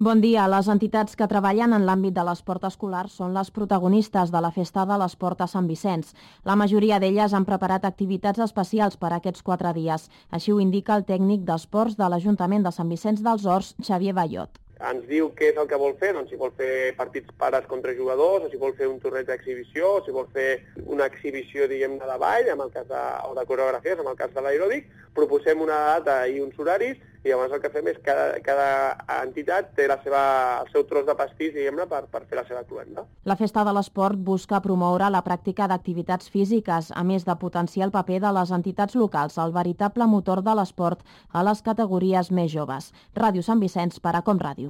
Bon dia. Les entitats que treballen en l'àmbit de l'esport escolar són les protagonistes de la Festa de l'Esport a Sant Vicenç. La majoria d'elles han preparat activitats especials per a aquests 4 dies. Així ho indica el tècnic d'esports de l'Ajuntament de Sant Vicenç dels Horts, Xavier Ballot. Ens diu què és el que vol fer, doncs si vol fer partits pares contra jugadors, o si vol fer un torneig d'exhibició, o si vol fer una exhibició, diguem-ne, de ball, o de coreografies, en el cas de l'aeròbic, proposem una data i uns horaris, i llavors el que fem és que cada entitat té el seu tros de pastís, diguem-ne, per fer la seva cluenda. La Festa de l'Esport busca promoure la pràctica d'activitats físiques, a més de potenciar el paper de les entitats locals, el veritable motor de l'esport a les categories més joves. Ràdio Sant Vicenç per a Com Ràdio.